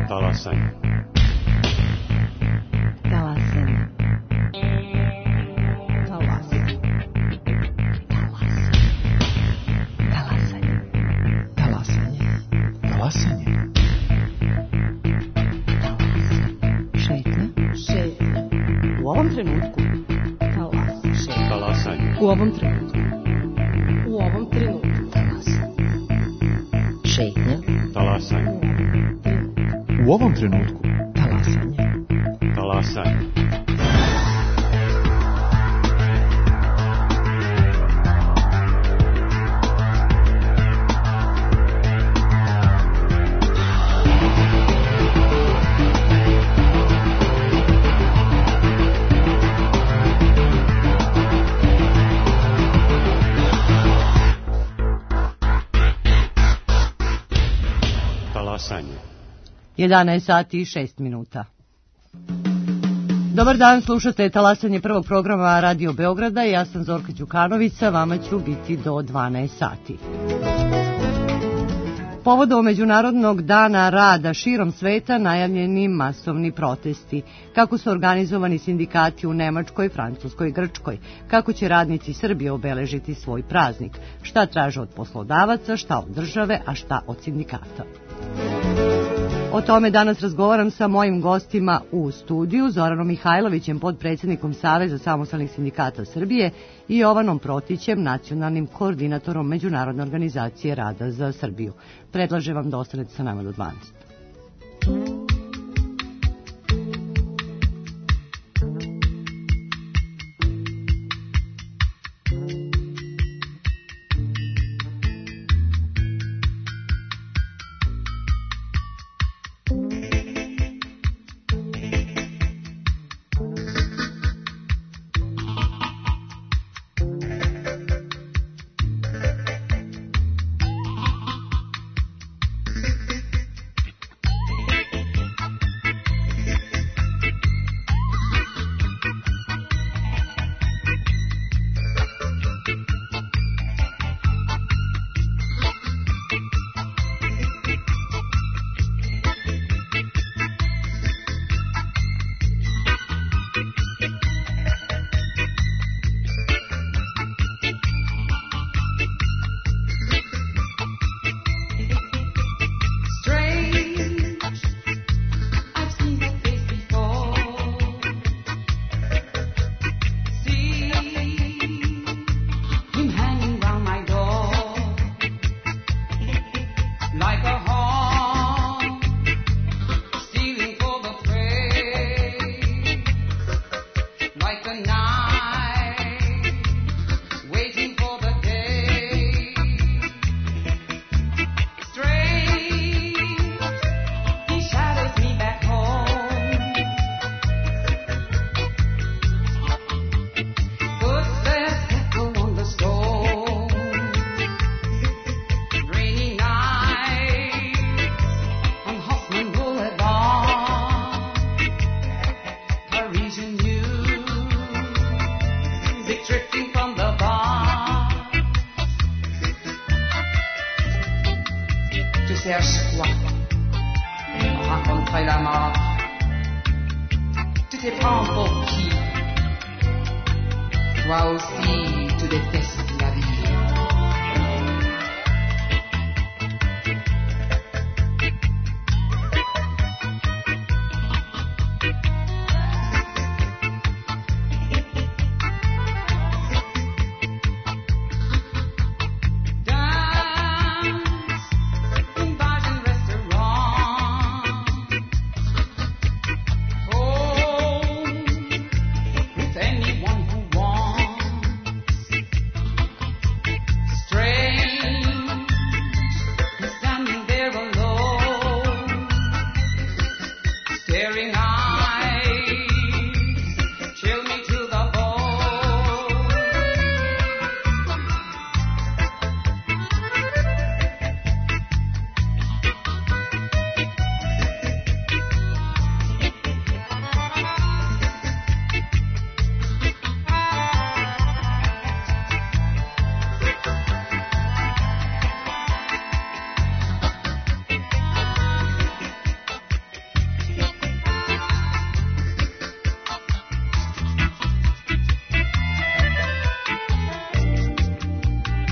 Talasanje. Talasanje. Talasanje. Talasanje. Talasanje. Talasanje. Šetnja. Šetnja. U ovom trenutku. Talasanje. U ovom trenutku. U ovom trenutku. Talasanje. Šetnja. Talasanje. U ovom trenutku. Talasanje. Talasanje. Talasanje. 11 sati i 6 minuta. Dobar dan, slušate Talasanje prvog programa Radio Beograda. Ja sam Zorka Đukanović, sa vama ću biti do 12 sati. Povodom Međunarodnog dana rada širom sveta najavljeni masovni protesti. Kako su organizovani sindikati u Nemačkoj, Francuskoj i Grčkoj? Kako će radnici Srbije obeležiti svoj praznik? Šta traže od poslodavaca, šta od države, a šta od sindikata? O tome danas razgovaram sa mojim gostima u studiju, Zoranom Mihajlovićem, podpredsjednikom Saveza samostalnih sindikata Srbije, i Jovanom Protićem, nacionalnim koordinatorom Međunarodne organizacije rada za Srbiju. Predlažem vam da ostanete sa nama do 12.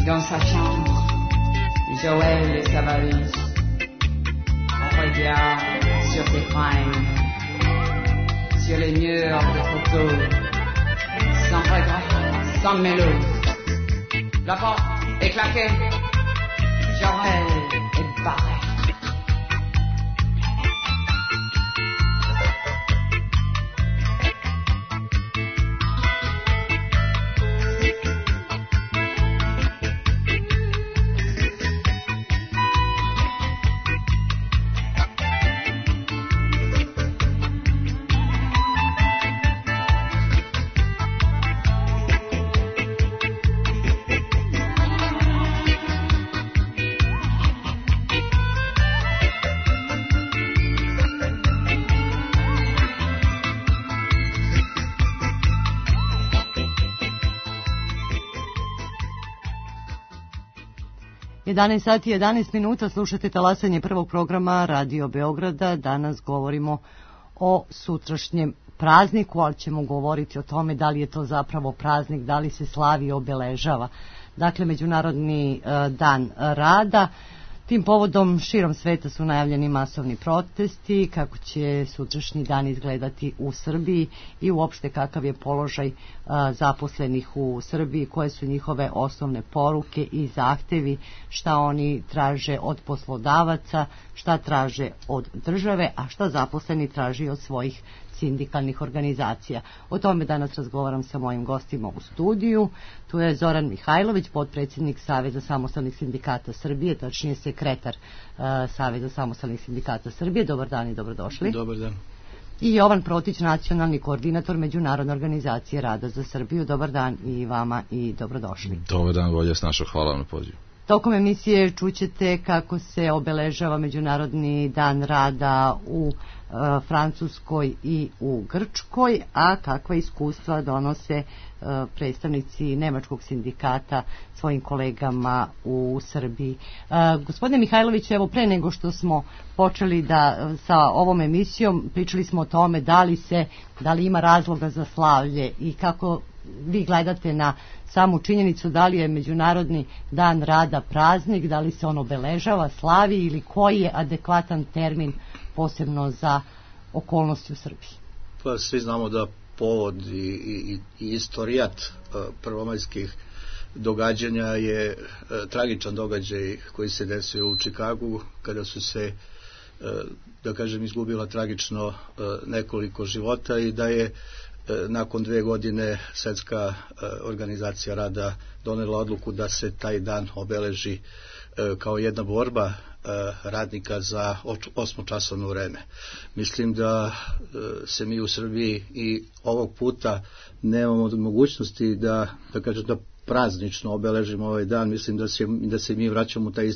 Dans sa chambre, Joël et sa valise. On regarde sur ses fringues, sur les murs de photos, sans regret, sans mélodie. La porte est claquée, Joël est barré. Sati 11 minuta, slušate talasanje prvog programa Radio Beograda. Danas govorimo o sutrašnjem prazniku, ali ćemo govoriti o tome da li je to zapravo praznik, da li se slavi i obeležava. Dakle, Međunarodni dan rada. Tim povodom širom sveta su najavljeni masovni protesti, kako će sutrašnji dan izgledati u Srbiji i uopšte kakav je položaj zaposlenih u Srbiji, koje su njihove osnovne poruke i zahtevi, šta oni traže od poslodavaca, šta traže od države, a šta zaposleni traži od svojih sindikalnih organizacija. O tome danas razgovaram sa mojim gostima u studiju. Tu je Zoran Mihajlović, potpredsjednik Saveza samostalnih sindikata Srbije, tačnije sekretar Saveza samostalnih sindikata Srbije. Dobar dan i dobrodošli. Dobar dan. I Jovan Protić, nacionalni koordinator Međunarodne organizacije rada za Srbiju. Dobar dan i vama i dobrodošli. Dobar dan, Volja Snaša, hvala vam na pozivu. Tokom emisije čućete kako se obeležava Međunarodni dan rada u Francuskoj i u Grčkoj, a kakva iskustva donose predstavnici nemačkog sindikata svojim kolegama u Srbiji. Gospodine Mihajlović, evo pre nego što smo počeli sa ovom emisijom, pričali smo o tome da li ima razloga za slavlje i kako vi gledate na samu činjenicu da li je Međunarodni dan rada praznik, da li se on obeležava, slavi ili koji je adekvatan termin posebno za okolnosti u Srbiji? Pa svi znamo da povod i istorijat prvomajskih događanja je tragičan događaj koji se desio u Čikagu, kada su se, da kažem, izgubila tragično nekoliko života i da je nakon 2 godine Svetska organizacija rada donela odluku da se taj dan obeleži kao jedna borba radnika za 8-časovno vreme. Mislim da se mi u Srbiji i ovog puta nemamo mogućnosti da praznično obeležimo ovaj dan. Mislim da se mi vraćamo taj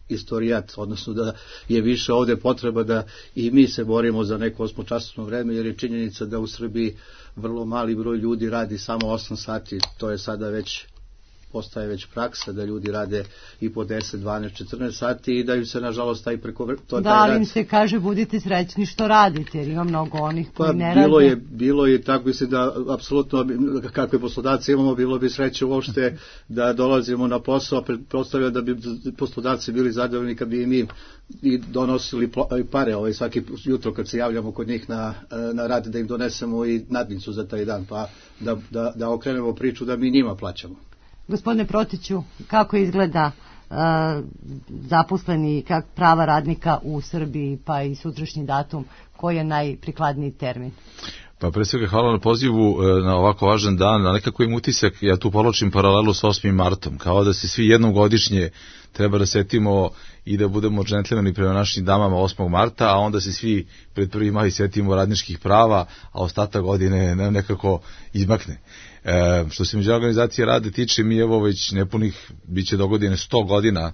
istorijat, odnosno da je više ovde potreba da i mi se borimo za neko 8-časovno vreme, jer je činjenica da u Srbiji vrlo mali broj ljudi radi samo 8 sati, to je sada postaje već praksa da ljudi rade i po 10, 12, 14 sati i da im se nažalost taj ali im se kaže budite srećni što radite, jer ima mnogo onih koji ne rade. Bilo je tako, mislim da apsolutno kakve poslodavci imamo, bilo bi sreće uopšte da dolazimo na posao, pretpostavljam da bi poslodavci bili zadovoljni kad bi i mi i donosili pare svaki jutro kad se javljamo kod njih na rad, da im donesemo i nadnicu za taj dan, pa da okrenemo priču da mi njima plaćamo. Gospodine Protiću, kako izgleda zaposleni prava radnika u Srbiji, pa i sutrašnji datum, koji je najprikladniji termin? Pa pre svega hvala na pozivu na ovako važan dan, a nekako im utisak, ja tu povlačim paralelu sa 8. martom, kao da se svi jednom godišnje treba da setimo i da budemo džentlmeni prema našim damama 8. marta, a onda se svi pred 1. maj setimo radničkih prava, a ostatak godine nam nekako izmakne. Što se Međunarodne organizacije rada tiče, mi evo već nepunih, bit će do godine 100 godina,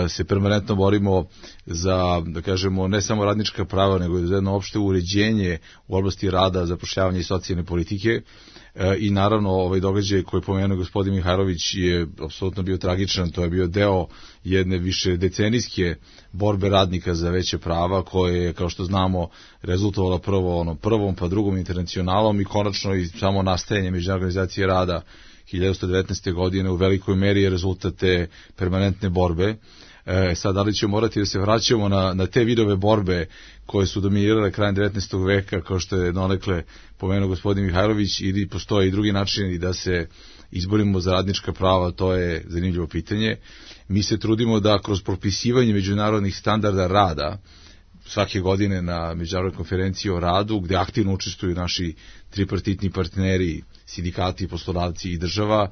se permanentno borimo za, da kažemo, ne samo radnička prava, nego za jedno opšte uređenje u oblasti rada, zapošljavanja i socijalne politike. I naravno ovaj događaj koji je pomenuo gospodin Mihajlović je apsolutno bio tragičan, to je bio deo jedne više decenijske borbe radnika za veće prava, koje je, kao što znamo, rezultovala prvo prvom pa drugom internacionalom i konačno i samo nastajanje Međunarodne organizacije rada 1919. godine u velikoj meri je rezultat te permanentne borbe. Sad, da li ćemo morati da se vraćamo na te vidove borbe koje su dominirale krajem 19. veka, kao što je donekle pomenuo gospodin Mihajlović, ili postoje i drugi načini da se izborimo za radnička prava, to je zanimljivo pitanje. Mi se trudimo da kroz propisivanje međunarodnih standarda rada svake godine na međunarodnoj konferenciji o radu, gde aktivno učestvuju naši tripartitni partneri, sindikati, poslodavci i država,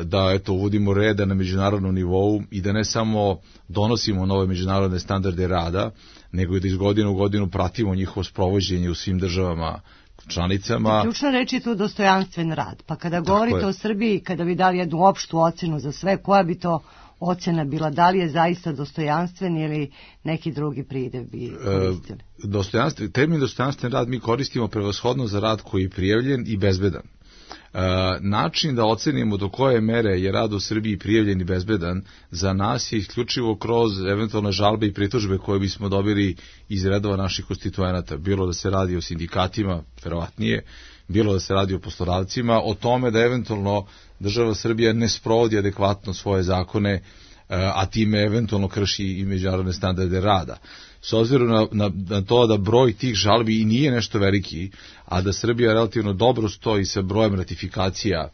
da uvodimo reda na međunarodnom nivou i da ne samo donosimo nove međunarodne standarde rada, nego i da iz godine u godinu pratimo njihovo sprovođenje u svim državama članicama. Ključna reč je tu dostojanstven rad. Pa kada govorite o Srbiji, kada bi dali jednu opštu ocenu za sve, koja bi to ocena bila? Da li je zaista dostojanstven ili neki drugi pridev bi koristili? Termin dostojanstven rad mi koristimo prevashodno za rad koji je prijavljen i bezbedan. Način da ocenimo do koje mere je rad u Srbiji prijavljen i bezbedan za nas je isključivo kroz eventualne žalbe i pritužbe koje bismo dobili iz redova naših konstituenata, bilo da se radi o sindikatima, verovatnije, bilo da se radi o poslodavcima, o tome da eventualno država Srbija ne sprovodi adekvatno svoje zakone, a time eventualno krši i međunarodne standarde rada. S obzirom na to da broj tih žalbi i nije nešto veliki, a da Srbija relativno dobro stoji sa brojem ratifikacija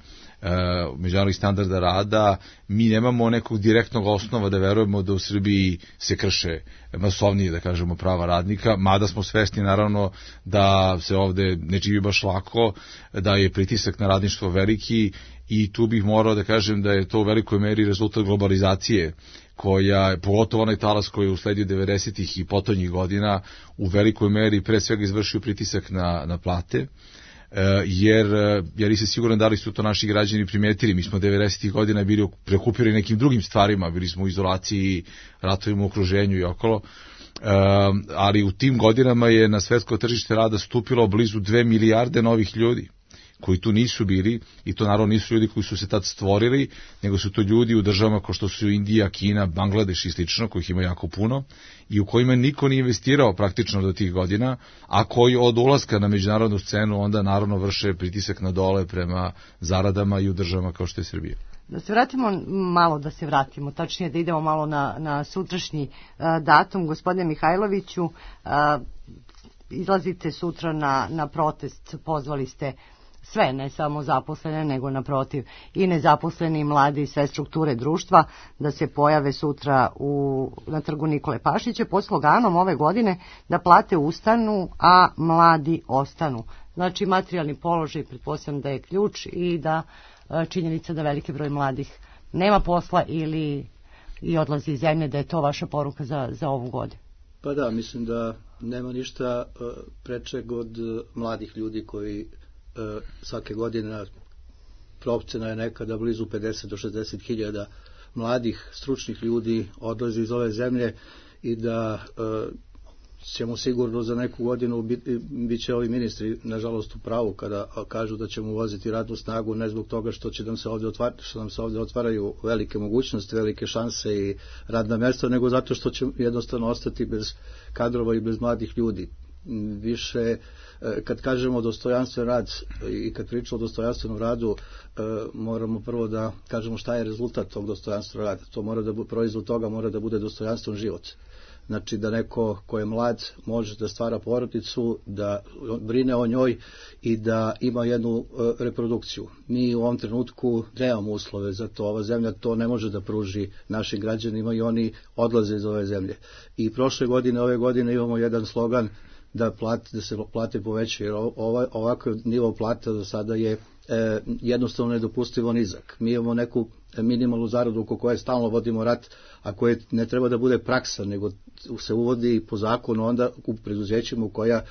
međunarodnih standarda rada, mi nemamo nekog direktnog osnova da verujemo da u Srbiji se krše masovnije, da kažemo, prava radnika, mada smo svesni naravno da se ovde ne živi baš lako, da je pritisak na radništvo veliki i tu bih morao da kažem da je to u velikoj meri rezultat globalizacije, koja, pogotovo onaj talas koji je usledio 90-ih i potonjih godina, u velikoj meri pre svega izvršio pritisak na plate, jer nisam siguran da li su to naši građani primetili. Mi smo 90-ih godina bili preokupirani nekim drugim stvarima, bili smo u izolaciji, ratovima u okruženju i okolo, ali u tim godinama je na svetsko tržište rada stupilo blizu 2 milijarde novih ljudi koji tu nisu bili, i to naravno nisu ljudi koji su se tad stvorili, nego su to ljudi u državama kao što su Indija, Kina, Bangladeš i slično, kojih ima jako puno, i u kojima niko nije investirao praktično do tih godina, a koji od ulaska na međunarodnu scenu onda naravno vrše pritisak na dole prema zaradama i u državama kao što je Srbija. Da se vratimo, tačnije da idemo malo na sutrašnji datum. Gospodine Mihajloviću, izlazite sutra na protest, pozvali ste sve, ne samo zaposlene, nego naprotiv i nezaposleni, mladi, sve strukture društva da se pojave sutra na trgu Nikole Pašića pod sloganom ove godine da plate ustanu, a mladi ostanu. Znači, materijalni položaj, pretpostavljam da je ključ, i da činjenica da veliki broj mladih nema posla ili i odlazi iz zemlje, da je to vaša poruka za ovu godinu. Pa da, mislim da nema ništa prečeg od mladih ljudi koji svake godine, procena je nekada blizu 50 do 60 hiljada mladih, stručnih ljudi odlazi iz ove zemlje, i da ćemo sigurno za neku godinu bit će ovi ministri nažalost u pravu kada kažu da ćemo uvoziti radnu snagu, ne zbog toga što nam se ovdje otvaraju velike mogućnosti, velike šanse i radna mjesta, nego zato što će jednostavno ostati bez kadrova i bez mladih ljudi. Više, kad kažemo dostojanstven rad i kad pričamo o dostojanstvenom radu, moramo prvo da kažemo šta je rezultat tog dostojanstvenog rada. To mora da proizvod toga mora da bude dostojanstven život. Znači da neko ko je mlad može da stvara porodicu, da brine o njoj i da ima jednu reprodukciju. Mi u ovom trenutku nemamo uslove za to, ova zemlja to ne može da pruži našim građanima i oni odlaze iz ove zemlje. I prošle godine, ove godine imamo jedan slogan da se plate povećaju, jer ovakav nivo plata do sada je jednostavno nedopustivo nizak. Mi imamo neku minimalnu zaradu oko koje stalno vodimo rat, a koje ne treba da bude praksa, nego se uvodi po zakonu onda u preduzećima koja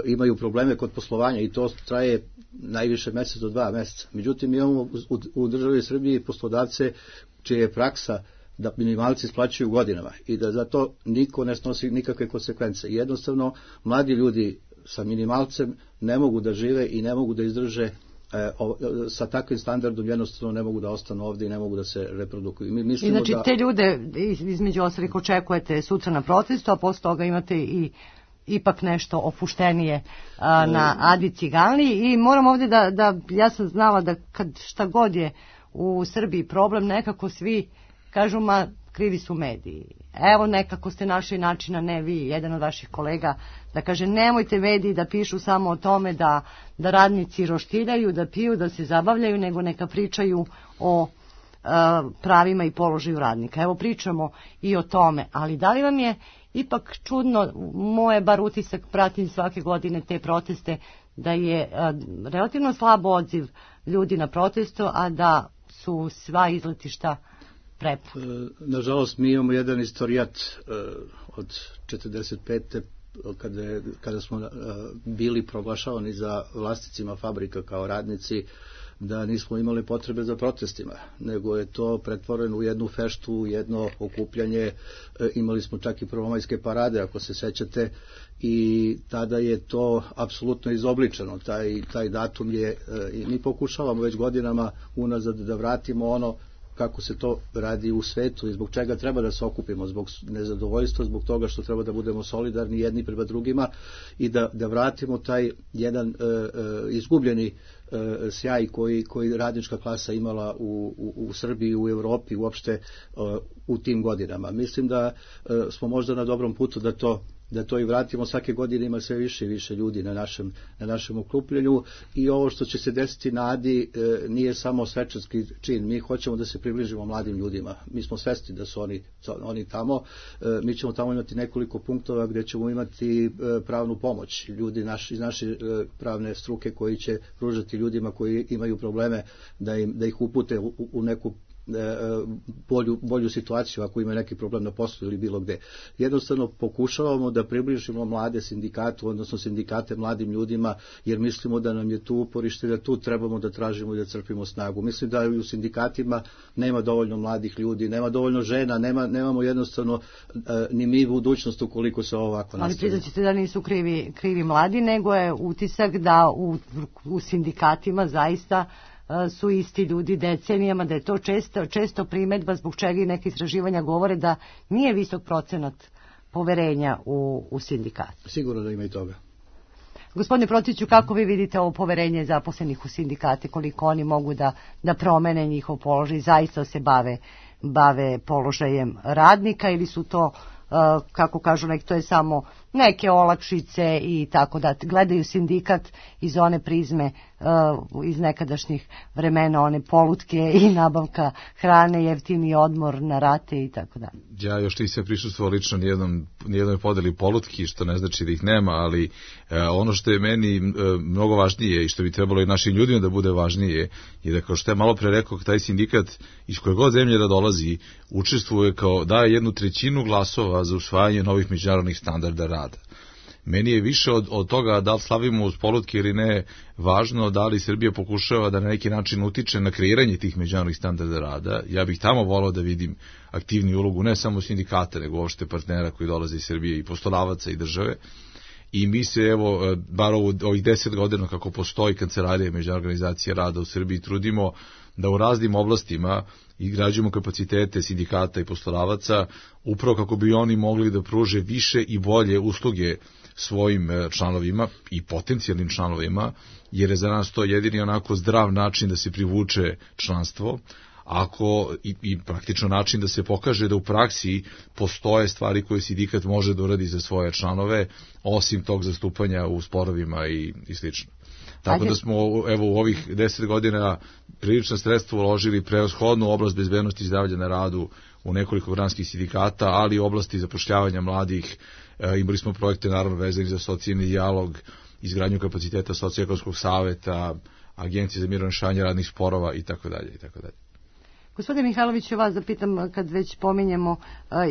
imaju probleme kod poslovanja, i to traje najviše mjesec do 2 mjeseca. Međutim, imamo u državi Srbiji poslodavce čije je praksa da minimalci isplaćuju godinama i da za to niko ne snosi nikakve konsekvence. Jednostavno, mladi ljudi sa minimalcem ne mogu da žive i ne mogu da izdrže sa takvim standardom, jednostavno ne mogu da ostanu ovdje i ne mogu da se reprodukuju. I znači te ljude između ostalih očekujete sutra na protestu, a posle toga imate i ipak nešto opuštenije na Adi Ciganli. I moram ovdje ja sam znala da kad šta god je u Srbiji problem, nekako svi kažu, ma krivi su mediji. Evo, nekako ste našli načina, ne vi, jedan od vaših kolega, da kaže nemojte mediji da pišu samo o tome da radnici roštiljaju, da piju, da se zabavljaju, nego neka pričaju o pravima i položaju radnika. Evo, pričamo i o tome, ali da li vam je ipak čudno, moje bar utisak, pratim svake godine te proteste, da je relativno slab odziv ljudi na protestu, a da su sva izletišta prepuna? Nažalost, mi imamo jedan istorijat od 45. kada smo bili proglašavani za vlasnicima fabrika kao radnici, da nismo imali potrebe za protestima, nego je to pretvoreno u jednu feštu, u jedno okupljanje. Imali smo čak i prvomajske parade, ako se sećate, i tada je to apsolutno izobličeno. Taj datum je, i mi pokušavamo već godinama unazad da vratimo ono kako se to radi u svetu i zbog čega treba da se okupimo, zbog nezadovoljstva, zbog toga što treba da budemo solidarni jedni prema drugima i da vratimo taj jedan izgubljeni sjaj koji radnička klasa imala u Srbiji, u Evropi, uopšte u tim godinama. Mislim da smo možda na dobrom putu da to i vratimo. Svake godine ima sve više i više ljudi na našem okupljenju i ovo što će se desiti na Adi nije samo svečarski čin. Mi hoćemo da se približimo mladim ljudima. Mi smo svesni da su oni tamo. Mi ćemo tamo imati nekoliko punktova gdje ćemo imati pravnu pomoć. Ljudi iz naše pravne struke koji će pružati ljudima koji imaju probleme da ih upute u neku bolju situaciju ako ima neki problem na poslu ili bilo gde. Jednostavno pokušavamo da približimo mlade sindikatu, odnosno sindikate mladim ljudima, jer mislimo da nam je tu uporište, da tu trebamo da tražimo i da crpimo snagu. Mislim da u sindikatima nema dovoljno mladih ljudi, nema dovoljno žena, nemamo jednostavno ni mi budućnost ukoliko se ovako nastavi. Ali priznaćete da nisu krivi mladi, nego je utisak da u sindikatima zaista su isti ljudi decenijama, da je to često primedba zbog čega i neke istraživanja govore da nije visok procenat poverenja u sindikat. Sigurno da ima i toga. Gospodine Protiću, kako vi vidite ovo poverenje zaposlenih u sindikate, koliko oni mogu da promene njihov položaj, zaista se bave položajem radnika ili su to, kako kažu neki, to je samo neke olakšice i tako da gledaju sindikat iz one prizme iz nekadašnjih vremena, one polutke i nabavka hrane, jeftini odmor na rate i tako da. Ja još nisam prisustvovao lično nijednoj podeli polutki, što ne znači da ih nema, ali ono što je meni mnogo važnije i što bi trebalo i našim ljudima da bude važnije je da, kao što je malo pre rekao, taj sindikat iz koje god zemlje da dolazi učestvuje daje 1/3 glasova za usvajanje novih međunarodnih standarda rada. Meni je više od toga da li slavimo uz polutke ili ne važno da li Srbija pokušava da na neki način utiče na kreiranje tih međunarodnih standarda rada. Ja bih tamo volao da vidim aktivniju ulogu ne samo sindikata, nego uopšte partnera koji dolaze iz Srbije i poslodavaca i države. I mi se, evo, bar ovih 10 godina kako postoji Kancelarija Međunarodne organizacije rada u Srbiji, trudimo da u raznim oblastima izgrađujemo kapacitete sindikata i poslodavaca, upravo kako bi oni mogli da pruže više i bolje usluge svojim članovima i potencijalnim članovima, jer je za nas to jedini onako zdrav način da se privuče članstvo, i praktično način da se pokaže da u praksi postoje stvari koje sindikat može da uradi za svoje članove, osim tog zastupanja u sporovima i slično. Tako da smo u ovih 10 godina prilično sredstvo uložili prevashodnu oblast bezbednosti i zdravlja na radu u nekoliko granskih sindikata, ali i oblasti zapošljavanja mladih. Imali smo projekte naravno vezani za socijalni dijalog, izgradnju kapaciteta socioekonomskog saveta, Agencije za mirno rešavanje radnih sporova itd. Gospodine Mihajloviću, vas da pitam, kad već pominjemo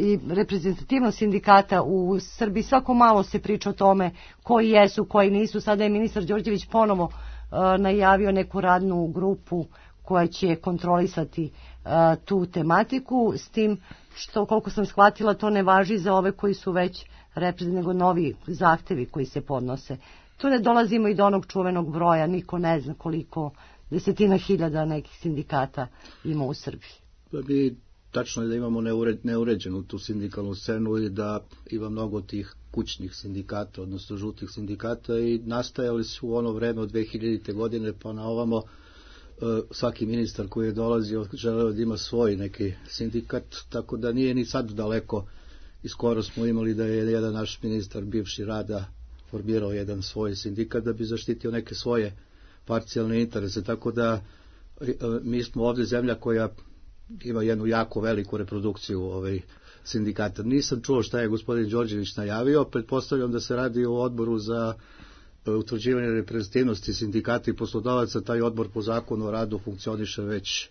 i reprezentativnost sindikata u Srbiji, svako malo se priča o tome koji jesu, koji nisu. Sada je ministar Đorđević ponovo najavio neku radnu grupu koja će kontrolisati tu tematiku, s tim što, koliko sam shvatila, to ne važi za ove koji su već reprezentativni, nego novi zahtevi koji se podnose. Tu ne dolazimo i do onog čuvenog broja, niko ne zna koliko desetina hiljada nekih sindikata ima u Srbiji. Mi tačno je da imamo neuređenu tu sindikalnu scenu i da ima mnogo tih kućnih sindikata, odnosno žutih sindikata, i nastajali su u ono vreme od 2000. godine pa na ovamo. Svaki ministar koji je dolazio želeo da ima svoj neki sindikat, tako da nije ni sad daleko, i skoro smo imali da je jedan naš ministar bivši rada formirao jedan svoj sindikat da bi zaštitio neke svoje parcijalne interese, tako da mi smo ovdje zemlja koja ima jednu jako veliku reprodukciju sindikata. Nisam čuo šta je gospodin Đorđević najavio, pretpostavljam da se radi o odboru za utvrđivanje reprezentativnosti sindikata i poslodavaca. Taj odbor po zakonu o radu funkcioniše već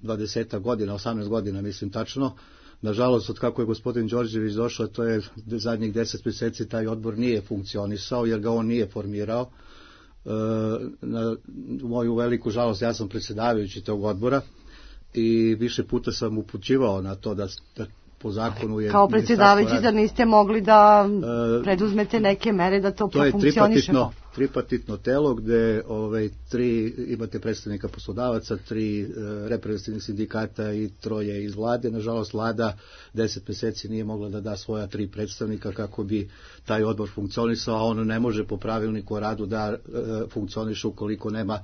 20 godina, 18 godina mislim tačno. Nažalost, od kako je gospodin Đorđević došao, to je zadnjih 10 mjeseci, taj odbor nije funkcionisao jer ga on nije formirao. Na moju veliku žalost, ja sam predsjedavajući tog odbora i više puta sam upućivao na to da po zakonu je... Kao predsjedavajući da niste mogli da preduzmete neke mere da to profunkcioniše? To je tripartitno telo gde imate predstavnika poslodavaca, 3 reprezentativnih sindikata i 3 iz vlade. Nažalost, vlada 10 mjeseci nije mogla da da svoja 3 predstavnika kako bi taj odbor funkcionisao, a on ne može po pravilniku o radu da funkcioniše ukoliko nema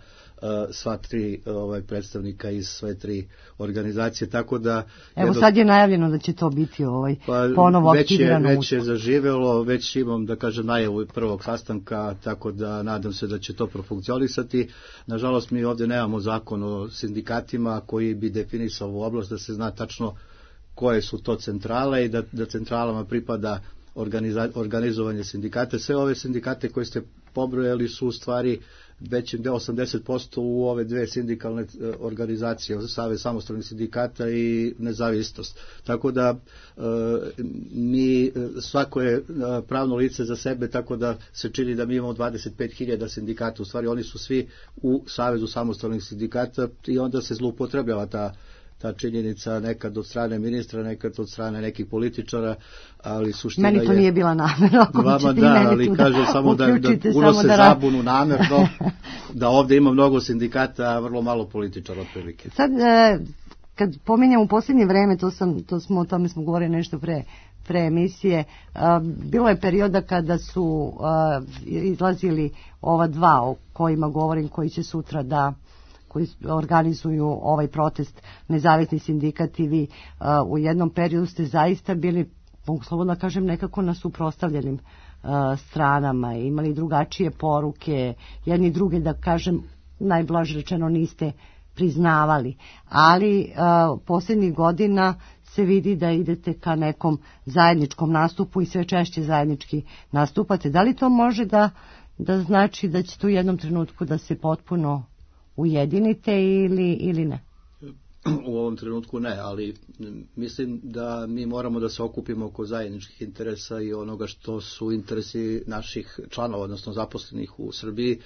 sva 3 predstavnika iz sve 3 organizacije, tako da... Evo sad je najavljeno da će to biti ponovo aktivirano. Već je zaživjelo, već imam da kažem najavu prvog sastanka, tako da nadam se da će to profunkcionisati. Nažalost, mi ovdje nemamo zakon o sindikatima koji bi definisao ovu oblast, da se zna tačno koje su to centrale i da centralama pripada organizovanje sindikata. Sve ove sindikate koje ste pobrojali su u stvari većim 80% u ove 2 sindikalne organizacije, Savez samostalnih sindikata i Nezavisnost. Tako da svako je pravno lice za sebe, tako da se čini da mi imamo 25.000 sindikata. U stvari oni su svi u Savezu samostalnih sindikata i onda se zloupotrebljava ta činjenica nekad od strane ministra, nekad od strane nekih političara, ali suština je... Meni to nije bila namera. Vama da, ali kažem samo da unose zabunu namerno, da ovdje ima mnogo sindikata, a vrlo malo političara otprilike. Sad, kad pominjem u posljednje vreme, o tome smo govorili nešto pre emisije, bilo je perioda kada su izlazili ova 2 o kojima govorim, koji će sutra koji organizuju ovaj protest, nezavisni sindikat, i vi u jednom periodu ste zaista bili, mogu slobodno kažem, nekako na suprotstavljenim stranama, imali drugačije poruke, jedni druge, da kažem, najblaže rečeno niste priznavali, ali posljednjih godina se vidi da idete ka nekom zajedničkom nastupu i sve češće zajednički nastupate. Da li to može da znači da će tu u jednom trenutku da se potpuno ujedinite ili ne? U ovom trenutku ne, ali mislim da mi moramo da se okupimo oko zajedničkih interesa i onoga što su interesi naših članova, odnosno zaposlenih u Srbiji,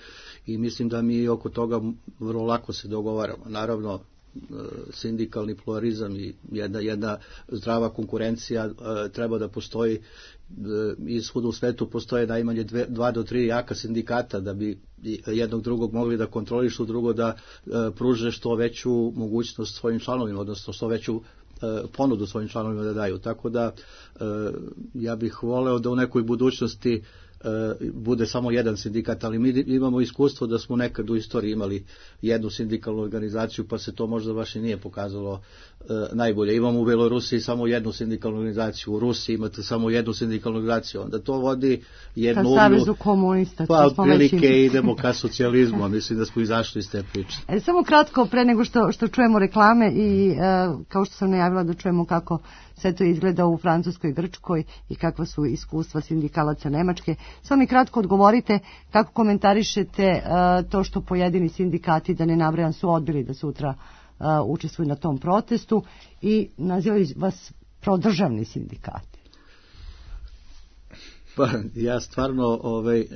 i mislim da mi oko toga vrlo lako se dogovaramo. Naravno, sindikalni pluralizam i jedna zdrava konkurencija treba da postoji. I svuda u svetu postoje najmanje 2 do 3 jaka sindikata da bi jednog drugog mogli da kontrolišu, drugo da pruže što veću mogućnost svojim članovima, odnosno što veću ponudu svojim članovima da daju. Tako da ja bih voleo da u nekoj budućnosti bude samo jedan sindikat, ali mi imamo iskustvo da smo nekad u istoriji imali jednu sindikalnu organizaciju, pa se to možda baš i nije pokazalo najbolje. Imamo u Belorusiji samo jednu sindikalnu organizaciju, u Rusiji imate samo jednu sindikalnu organizaciju, onda to vodi jednu... Ka Savezu komunista. Pa otprilike idemo ka socijalizmu, a mislim da smo izašli iz te priče. Samo kratko, pre nego što čujemo reklame i kao što sam najavila da čujemo kako sve to izgleda u Francuskoj, Grčkoj i kakva su iskustva sindikalaca Nemačke. Samo mi kratko odgovorite kako komentarišete to što pojedini sindikati, da ne nabrajam, su odbili da sutra učestvuju na tom protestu i nazivaju vas prodržavni sindikati. Pa ja stvarno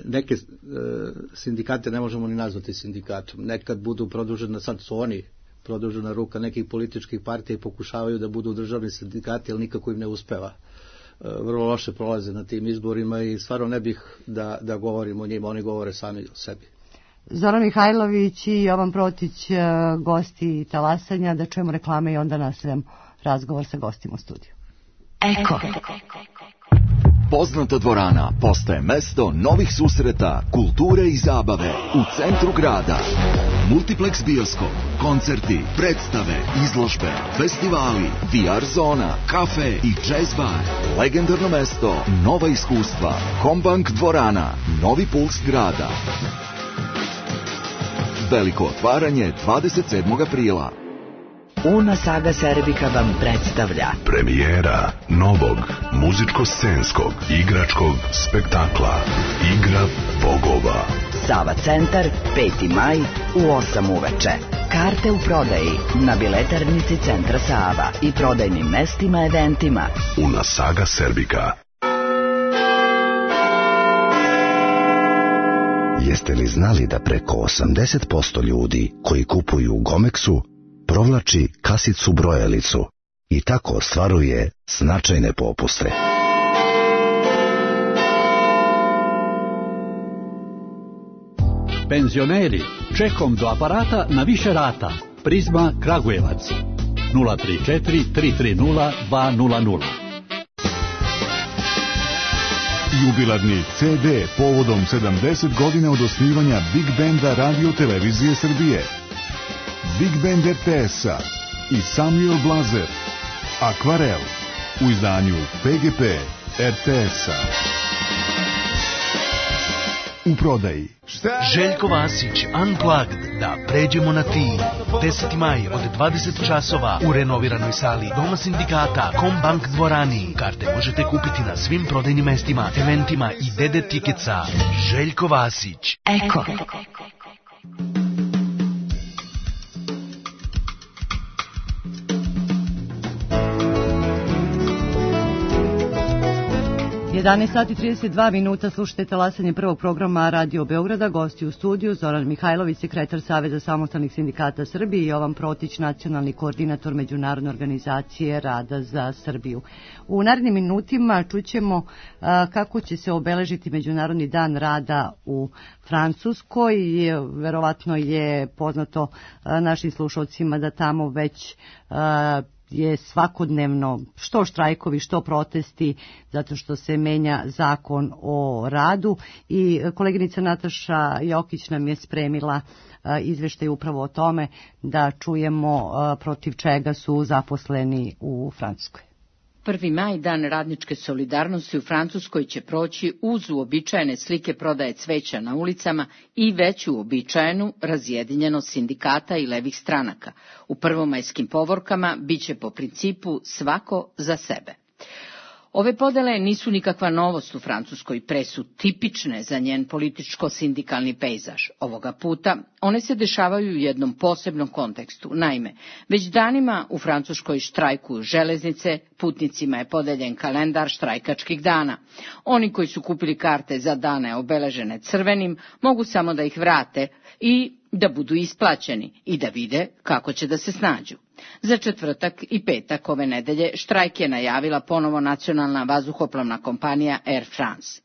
neke sindikate ne možemo ni nazvati sindikatom. Nekad budu produžena, sad su oni produžena ruka nekih političkih partija i pokušavaju da budu državni sindikati, ali nikako im ne uspeva. Vrlo loše prolaze na tim izborima i stvarno ne bih da govorim o njima, oni govore sami o sebi. Zoran Mihajlović i Jovan Protić, gosti Talasanja, da čujemo reklame i onda nastavljam razgovor sa gostima u studiju. Eko. Poznata dvorana postaje mesto novih susreta, kulture i zabave u centru grada. Multiplex bioskop, koncerti, predstave, izložbe, festivali, VR zona, kafe i jazz bar. Legendarno mesto, nova iskustva. Kombank dvorana, novi puls grada. Veliko otvaranje 27. aprila. Una Saga Serbika vam predstavlja premijera novog muzičko-scenskog igračkog spektakla Igra bogova. Sava centar, 5. maj u 8 uveče. Karte u prodaji na biletarnici Centra Sava i prodajnim mestima eventima. Una Saga Serbika. Jeste li znali da preko 80% ljudi koji kupuju u Gomexu provlači kasicu brojalicu i tako ostvaruje značajne popuste? Penzioneri, čekom do aparata na više rata. Prizma Kragujevac 034 330 200. Jubilarni CD povodom 70 godina od osnivanja Big Banda Radio Televizije Srbije. Big Band RTS-a i Samuel Blazer, Akvarel, u izdanju PGP RTS-a. U prodaji. Željko Vasić, Unplugged, da pređemo na ti. 10. maj od 20 časova u renoviranoj sali Doma sindikata Kombank dvorani. Karte možete kupiti na svim prodajnim mestima, eventima i DD Ticketsa. Željko Vasić. Eko. 11:32, slušajte Talasanje prvog programa Radio Beograda. Gosti u studiju Zoran Mihajlović, sekretar Saveza samostalnih sindikata Srbije, i Jovan Protić, nacionalni koordinator Međunarodne organizacije rada za Srbiju. U narednim minutima čućemo kako će se obeležiti Međunarodni dan rada u Francuskoj. Verovatno je poznato našim slušalcima da tamo već je svakodnevno što štrajkovi, što protesti, zato što se menja zakon o radu, i koleginica Nataša Jokić nam je spremila izveštaj upravo o tome, da čujemo protiv čega su zaposleni u Francuskoj. 1. maj, dan radničke solidarnosti u Francuskoj, će proći uz uobičajene slike prodaje cveća na ulicama i već uobičajenu razjedinjenost sindikata i levih stranaka. U prvomajskim povorkama biće po principu svako za sebe. Ove podele nisu nikakva novost u Francuskoj, pre su tipične za njen političko-sindikalni pejzaž. Ovoga puta one se dešavaju u jednom posebnom kontekstu. Naime, već danima u Francuskoj štrajkuju železnice, putnicima je podeljen kalendar štrajkačkih dana. Oni koji su kupili karte za dane obeležene crvenim mogu samo da ih vrate i da budu isplaćeni i da vide kako će da se snađu. Za četvrtak i petak ove nedelje štrajk je najavila ponovo nacionalna vazduhoplovna kompanija Air France.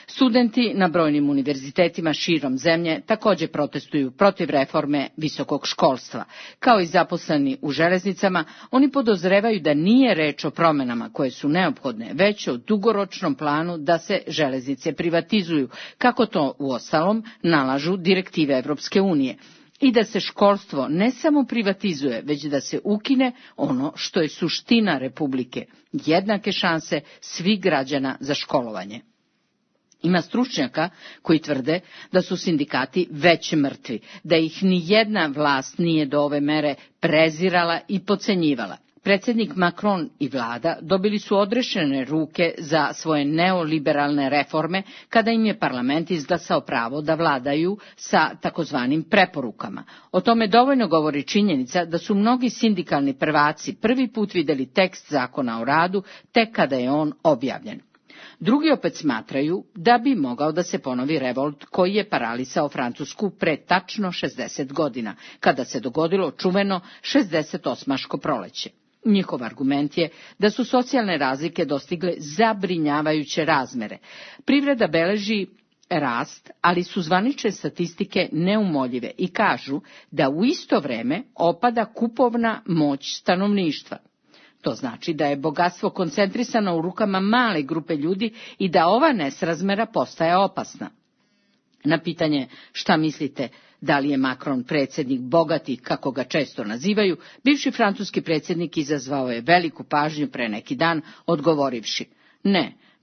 Studenti na brojnim univerzitetima širom zemlje također protestuju protiv reforme visokog školstva. Kao i zaposleni u železnicama, oni podozrevaju da nije reč o promjenama koje su neophodne, već o dugoročnom planu da se železnice privatizuju, kako to uostalom nalažu direktive Evropske unije. I da se školstvo ne samo privatizuje, već da se ukine ono što je suština Republike, jednake šanse svih građana za školovanje. Ima stručnjaka koji tvrde da su sindikati već mrtvi, da ih ni jedna vlast nije do ove mere prezirala i podcenjivala. Predsjednik Macron i vlada dobili su odrešene ruke za svoje neoliberalne reforme kada im je parlament izglasao pravo da vladaju sa takozvanim preporukama. O tome dovoljno govori činjenica da su mnogi sindikalni prvaci prvi put vidjeli tekst zakona o radu tek kada je on objavljen. Drugi opet smatraju da bi mogao da se ponovi revolt koji je paralisao Francusku pre tačno 60 godina, kada se dogodilo čuveno 68. proleće. Njihov argument je da su socijalne razlike dostigle zabrinjavajuće razmere. Privreda beleži rast, ali su zvanične statistike neumoljive i kažu da u isto vreme opada kupovna moć stanovništva. To znači da je bogatstvo koncentrisano u rukama male grupe ljudi i da ova nesrazmera postaje opasna. Na pitanje šta mislite, da li je Macron predsjednik bogatih, kako ga često nazivaju, bivši francuski predsjednik izazvao je veliku pažnju pre neki dan, odgovorivši: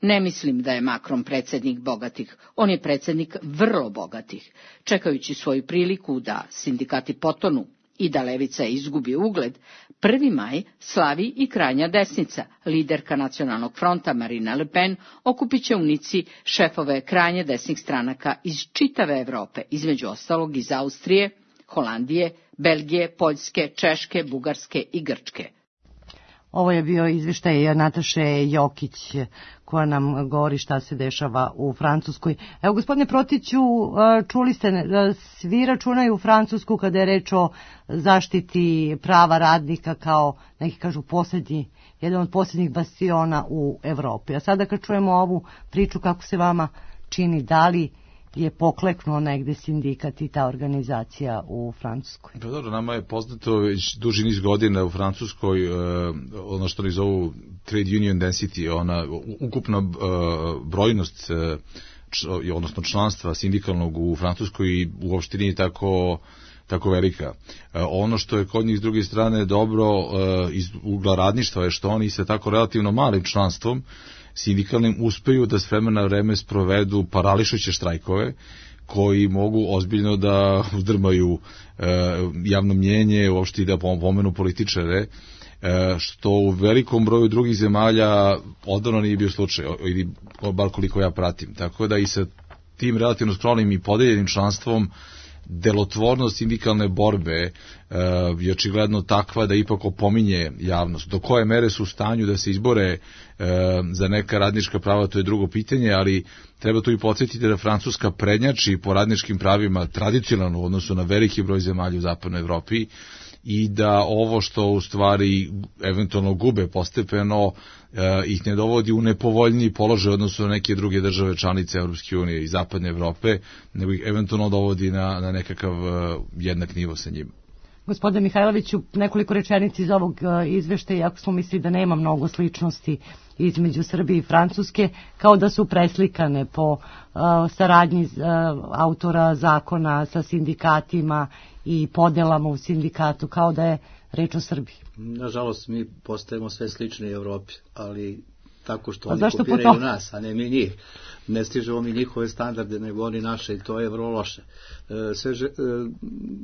ne mislim da je Macron predsjednik bogatih, on je predsjednik vrlo bogatih. Čekajući svoju priliku da sindikati potonu i da levica izgubi ugled, 1. maj slavi i krajnja desnica. Liderka Nacionalnog fronta Marine Le Pen okupit će u Nici šefove krajnje desnih stranaka iz čitave Evrope, između ostalog iz Austrije, Holandije, Belgije, Poljske, Češke, Bugarske i Grčke. Ovo je bio izveštaj Nataše Jokić koja nam govori šta se dešava u Francuskoj. Evo, gospodine Protiću, čuli ste, svi računaju Francusku kada je reč o zaštiti prava radnika kao, neki kažu, jedan od posljednjih bastiona u Evropi. A sada kad čujemo ovu priču, kako se vama čini, da li je pokleknuo negde sindikat i ta organizacija u Francuskoj? Pa dobro, nama je poznato već duži niz godina u Francuskoj ono što oni zovu trade union density, ona ukupna brojnost, odnosno članstva sindikalnog u Francuskoj i uopšte nije tako velika. Ono što je kod njih s druge strane dobro iz ugla radništva je što oni sa tako relativno malim članstvom sindikalnim uspeju da s vremena na vreme sprovedu parališuće štrajkove koji mogu ozbiljno da uzdrmaju javno mnjenje, uopšte i da pomenu političare, što u velikom broju drugih zemalja odavno nije bio slučaj, ili bar koliko ja pratim. Tako da i sa tim relativno skromnim i podeljenim članstvom delotvornost sindikalne borbe je očigledno takva da ipak opominje javnost. Do koje mere su u stanju da se izbore za neka radnička prava, to je drugo pitanje, ali treba tu i podsjetiti da Francuska prednjači po radničkim pravima tradicionalno u odnosu na veliki broj zemalja u zapadnoj Evropi i da ovo što u stvari eventualno gube postepeno ih ne dovodi u nepovoljniji položaj u odnosu na neke druge države članice Europske unije i zapadne Evrope, nego ih eventualno dovodi na nekakav jednak nivo sa njima. Gospodine Mihajloviću, nekoliko rečenica iz ovog izveštaja, iako smo mislili da nema mnogo sličnosti između Srbije i Francuske, kao da su preslikane po saradnji autora zakona sa sindikatima i podelama u sindikatu, kao da je reč o Srbiji. Nažalost, mi postajemo sve slični Evropi, ali tako što oni kopiraju nas, a ne mi njih. Ne stižemo mi njihove standarde, nego oni naše i to je vrlo loše.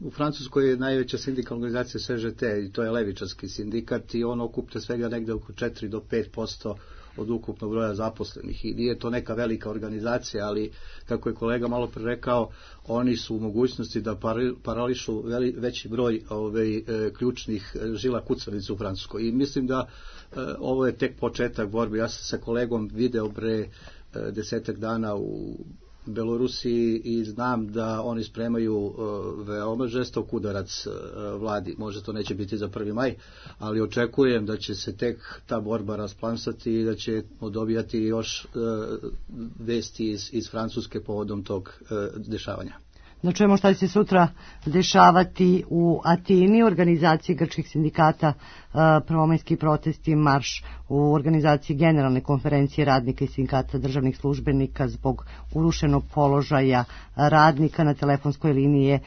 U Francuskoj je najveća sindikalna organizacija CGT i to je levičarski sindikat i on okuplja svega negde oko 4 do 5% od ukupnog broja zaposlenih i nije to neka velika organizacija, ali kako je kolega malo pre rekao, oni su u mogućnosti da parališu veći broj ključnih žila kucavica u Francuskoj i mislim da ovo je tek početak borbe. Ja sam sa kolegom video pre 10 dana u Belorusiji i znam da oni spremaju veoma žestok udarac vladi. Možda to neće biti za 1. maj, ali očekujem da će se tek ta borba rasplansati i da ćemo dobijati još vesti iz Francuske povodom tog dešavanja. Da čujemo šta će se sutra dešavati u Atini, u organizaciji grčkih sindikata, prvomajski protesti, marš u organizaciji generalne konferencije radnika i sindikata državnih službenika zbog urušenog položaja radnika. Na telefonskoj liniji je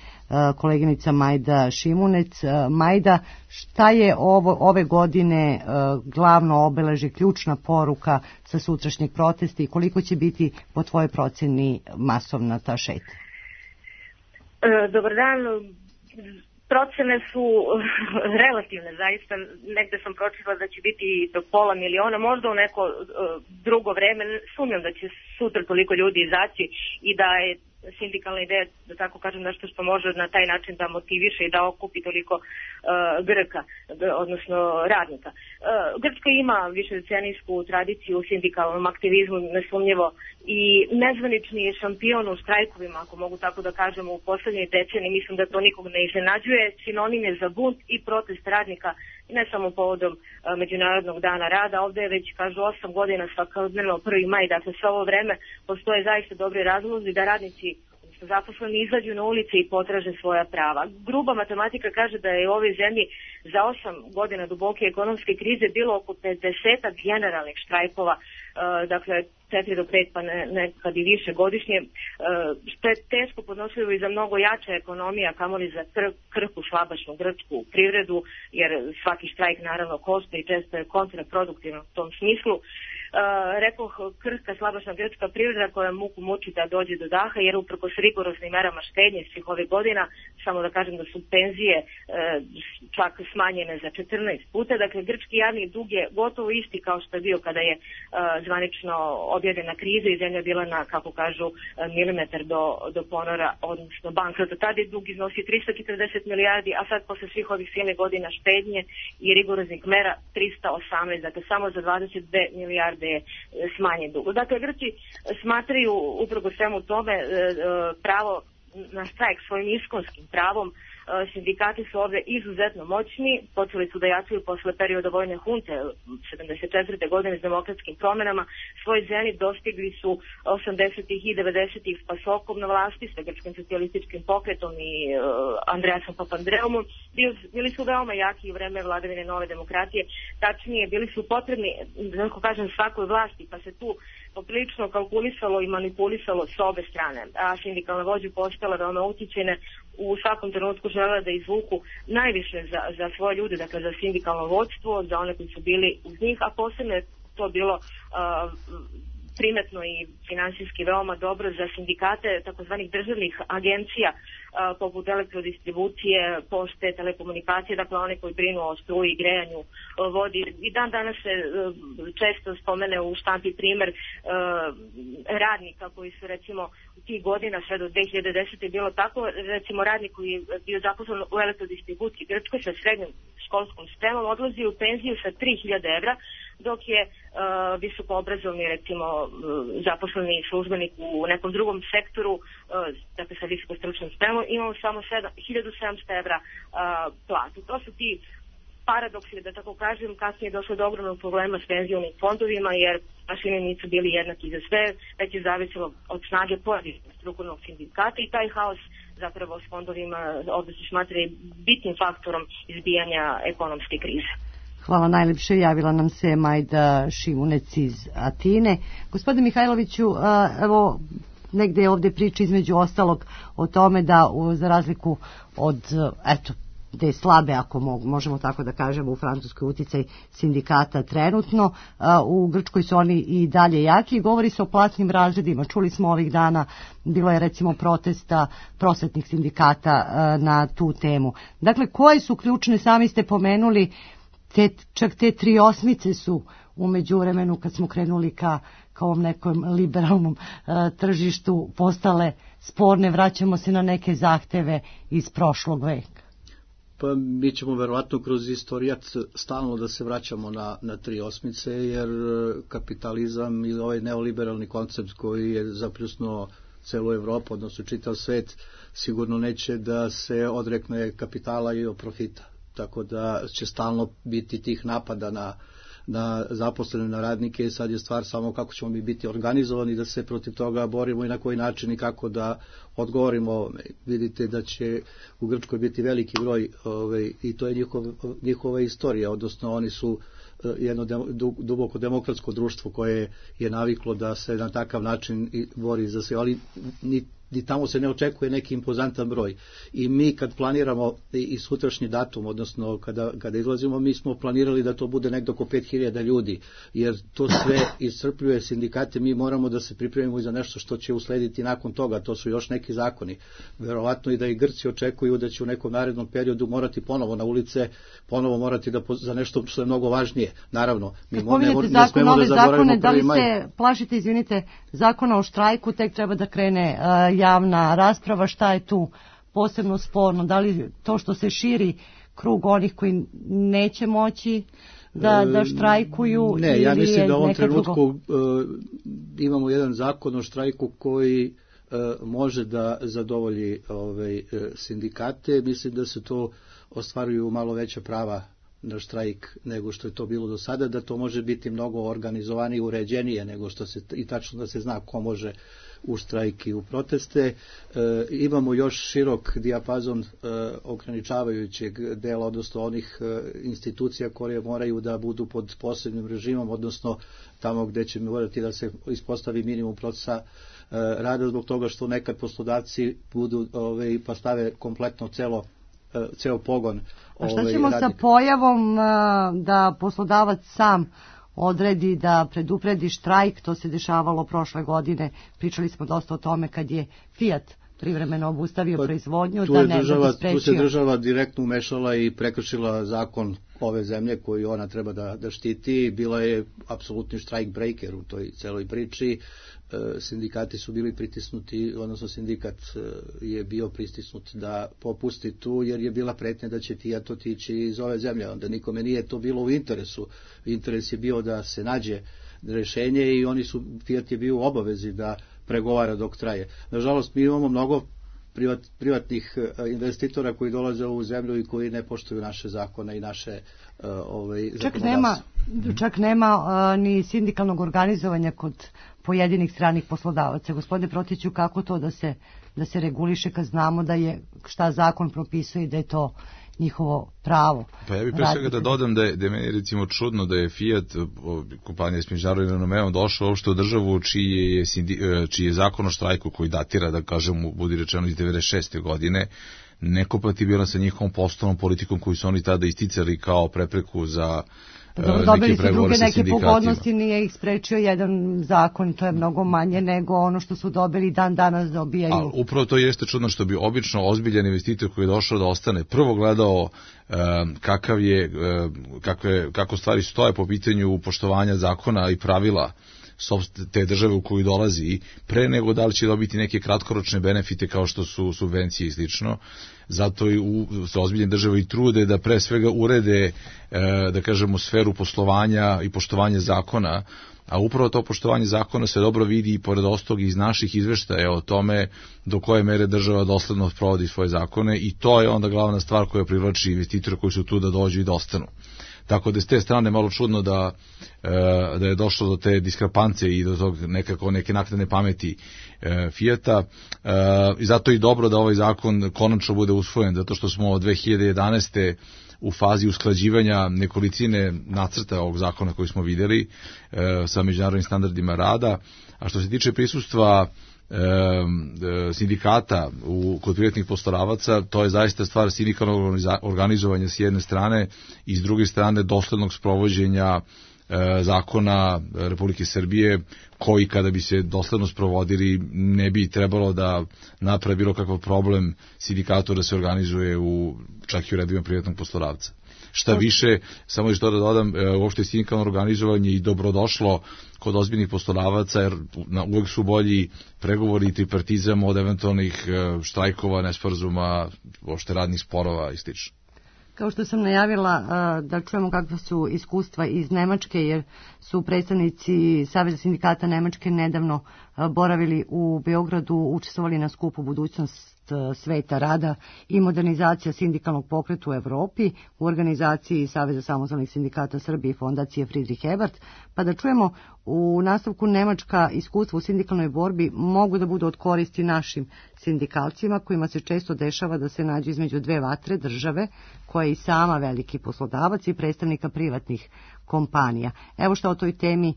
koleginica Majda Šimunec. Majda, šta je ove godine glavno obeležje, ključna poruka sa sutrašnjeg protesta i koliko će biti po tvojoj proceni masovna ta šetnja? Dobar dan. Procene su relativne, zaista. Negde sam pročitala da će biti do 500.000, možda u neko drugo vreme. Sumnjam da će sutra toliko ljudi izaći i da je sindikalna ideja, da tako kažem, nešto što može na taj način da motiviše i da okupi toliko Grka, odnosno radnika. Grčka ima višedecenijsku tradiciju u sindikalnom aktivizmu, nesumnjivo, i nezvanični je šampion u štrajkovima, ako mogu tako da kažem, u poslednjoj deceniji. Mislim da to nikog ne iznenađuje. Sinonim je za bunt i protest radnika ne samo povodom Međunarodnog dana rada. Ovde je već, kažu, 8 godina svakodnevno 1. maj, dakle sve ovo vreme postoje zaista dobri razlozi da radnici zaposleni izađu na ulice i potraže svoja prava. Gruba matematika kaže da je u ovoj zemlji za 8 godina duboke ekonomske krize bilo oko 50 generalnih štrajkova, dakle 4 do 5 pa nekad i više godišnje, što je teško podnošljivo i za mnogo jača ekonomija, kamoli za krhku, slabašnu grčku privredu, jer svaki štrajk naravno košta i često je kontraproduktivno u tom smislu. Rekoh, krhka, slabašna grčka privreda koja muku muči da dođe do daha, jer uprkos rigoroznim merama štednje svih ovih godina, samo da kažem da su penzije čak smanjene za 14 puta, dakle grčki javni dug je gotovo isti kao što je bio kada je zvanično objavljena kriza i zemlja bila na, kako kažu, milimetar do ponora, odnosno bankrota. Tada je dug iznosi 340 milijardi, a sad posle svih ovih silnih godina štednje i rigoroznih mera 318, dakle samo za 22 milijarde je smanjen dug. Dakle, Grci smatraju upravo svemu tome pravo na štrajk svojim iskonskim pravom. Sindikati su ovde izuzetno moćni, počeli su da jačaju posle perioda vojne hunte 74. godine s demokratskim promenama. Svoj zenit dostigli su 80. i 90. s PASOK-om na vlasti, sa grčkim socijalističkim pokretom i Andreasom Papandreumom. Bili su veoma jaki u vreme vladavine nove demokratije, tačnije bili su potrebni, da kažem, svakoj vlasti, pa se tu poprilično kalkulisalo i manipulisalo s obe strane, a sindikalne vođe postale veoma utičene, u svakom trenutku žele da izvuku najviše za svoje ljude, dakle za sindikalno vođstvo, za one koji su bili uz njih, a posebno je to bilo primetno i finansijski veoma dobro za sindikate takozvanih državnih agencija poput elektrodistribucije, pošte, telekomunikacije, dakle one koji brinu o struji, grejanju, vodi. I dan danas se često spomene u štampi primer radnika koji su recimo tih godina sve do 2010. bilo tako, recimo radnik koji je bio zaposlen u elektrodistribuciji Grčkoj sa srednjom školskom spremom odlazi u penziju sa 3000 evra, dok je visoko obrazovni, recimo zaposleni službenik u nekom drugom sektoru, dakle sa visoko stručnom spremom, imao samo 1700 evra platu. To su ti paradoksi, da tako kažem. Kasnije je došlo do ogromnog problema s penzionim fondovima, jer mašine nisu bili jednaki za sve, već je zavisilo od snage pojedinog strukturnog sindikata i taj haos zapravo s fondovima ovdje se smatra bitnim faktorom izbijanja ekonomske krize. Hvala najlepše. Javila nam se Majda Šimunec iz Atine. Gospodine Mihajloviću, evo negde je ovde priča između ostalog o tome da za razliku od, eto, da je slabe, ako možemo tako da kažemo, u Francuskoj uticaj sindikata trenutno, u Grčkoj su oni i dalje jaki. Govori se o platnim razredima. Čuli smo ovih dana, bilo je recimo protesta prosvetnih sindikata na tu temu. Dakle, koje su ključne, sami ste pomenuli, čak te 3/8 su u međuvremenu kad smo krenuli ka ovom nekom liberalnom tržištu postale sporne, vraćamo se na neke zahteve iz prošlog veka. Pa mi ćemo verovatno kroz istorijat stalno da se vraćamo na 3/8, jer kapitalizam i ovaj neoliberalni koncept koji je zapljusnuo celu Evropu, odnosno čitav svet, sigurno neće da se odrekne kapitala i profita. Tako da će stalno biti tih napada na zaposlene, na radnike. Sad je stvar samo kako ćemo mi biti organizovani da se protiv toga borimo i na koji način i kako da odgovorimo. Vidite da će u Grčkoj biti veliki broj i to je njihova istorija, odnosno oni su jedno duboko demokratsko društvo koje je naviklo da se na takav način bori za sve, ali ni tamo se ne očekuje neki impozantan broj. I mi kad planiramo i sutrašnji datum, odnosno kada izlazimo, mi smo planirali da to bude nekdo oko 5000 ljudi, jer to sve iscrpljuje sindikate. Mi moramo da se pripremimo i za nešto što će uslediti nakon toga, to su još neki zakoni. Verovatno i da i Grci očekuju da će u nekom narednom periodu morati ponovo na ulice, ponovo morati da za nešto što je mnogo važnije. Naravno, mi ne smemo da zaboravimo 1. maj. Da li se plašite, izvinite, zakona o štrajku, tek treba da krene javna rasprava, šta je tu posebno sporno? Da li to što se širi krug onih koji neće moći da štrajkuju? Ne, ja mislim da u ovom trenutku imamo jedan zakon o štrajku koji može da zadovolji sindikate. Mislim da se to ostvaruju malo veća prava na štrajk nego što je to bilo do sada, da to može biti mnogo organizovanije, uređenije nego što se, i tačno da se zna ko može u štrajk i u proteste. Imamo još širok dijapazon ograničavajućeg dela, odnosno onih institucija koje moraju da budu pod posebnim režimom, odnosno tamo gde će morati da se ispostavi minimum procesa rada, zbog toga što nekad poslodavci budu pa stave kompletno ceo pogon. A šta ćemo sa pojavom da poslodavac sam odredi da predupredi štrajk? To se dešavalo prošle godine. Pričali smo dosta o tome kad je Fiat privremeno obustavio proizvodnju, da ne bi sprečio. Tu se država direktno umešala i prekršila zakon ove zemlje koju ona treba da štiti. Bila je apsolutni štrajk breaker u toj celoj priči. Sindikati su bili pritisnuti, odnosno sindikat je bio pritisnut da popusti tu, jer je bila pretnja da će Fiat otići iz ove zemlje. Onda nikome nije to bilo u interesu. Interes je bio da se nađe rešenje i Fiat je bio u obavezi da pregovara dok traje. Nažalost, mi imamo mnogo privatnih investitora koji dolaze u zemlju i koji ne poštuju naše zakone i naše zakonodavstvo. Čak nema ni sindikalnog organizovanja kod pojedinih stranih poslodavaca. Gospodine Protiću, kako to da se reguliše kad znamo da je šta zakon propisuje i da je to njihovo pravo? Pa ja bih pre svega da dodam da je meni recimo čudno da je Fiat, kompanija s međunarodnim renomeom, došao uopšte u državu čiji je zakon o štrajku, koji datira, da kažemo, budi rečeno, iz 96. godine, nekompatibilan sa njihovom poslovnom politikom koju su oni tada isticali kao prepreku za dobili su druge neke pogodnosti, nije ih sprečio jedan zakon, to je mnogo manje nego ono što su dobili dan danas dobijaju. Ali upravo to jeste čudno, što bi obično ozbiljan investitor koji je došao da ostane prvo gledao kako stvari stoje po pitanju poštovanja zakona i pravila te države u koju dolazi, pre nego da li će dobiti neke kratkoročne benefite kao što su subvencije i slično. Zato i se ozbiljne države i trude da pre svega urede, da kažemo, sferu poslovanja i poštovanja zakona, a upravo to poštovanje zakona se dobro vidi i pored ostalog iz naših izveštaja o tome do koje mere država dosledno provodi svoje zakone, i to je onda glavna stvar koja privlači investitore koji su tu da dođu i da ostanu. Tako da s te strane malo čudno da je došlo do te diskrepance i do tog neke naknadne pameti Fijata. I zato je dobro da ovaj zakon konačno bude usvojen, zato što smo od 2011. u fazi usklađivanja nekolicine nacrta ovog zakona koji smo vidjeli sa međunarodnim standardima rada. A što se tiče prisustva sindikata kod privatnih poslodavaca, to je zaista stvar sindikalnog organizovanja s jedne strane i s druge strane doslednog sprovođenja zakona Republike Srbije, koji kada bi se dosledno sprovodili ne bi trebalo da napravi bilo kakav problem sindikatu da se organizuje čak i u redovima privatnog poslodavca. Šta više, samo još to da dodam, uopšte sindikalno organizovanje i dobrodošlo kod ozbiljnih poslodavaca, jer uvek su bolji pregovori i tripartizam od eventualnih štrajkova, nesporazuma, uopšte radnih sporova i slično. Kao što sam najavila, da čujemo kakva su iskustva iz Nemačke, jer su predstavnici Saveza sindikata Nemačke nedavno boravili u Beogradu, učestvovali na skupu Budućnost sveta rada i modernizacija sindikalnog pokreta u Evropi u organizaciji Saveza samostalnih sindikata Srbije i fondacije Friedrich Ebert, pa da čujemo u nastavku nemačka iskustva u sindikalnoj borbi mogu da budu od koristi našim sindikalcima, kojima se često dešava da se nađu između dve vatre, države koja je i sama veliki poslodavac i predstavnika privatnih kompanija. Evo što o toj temi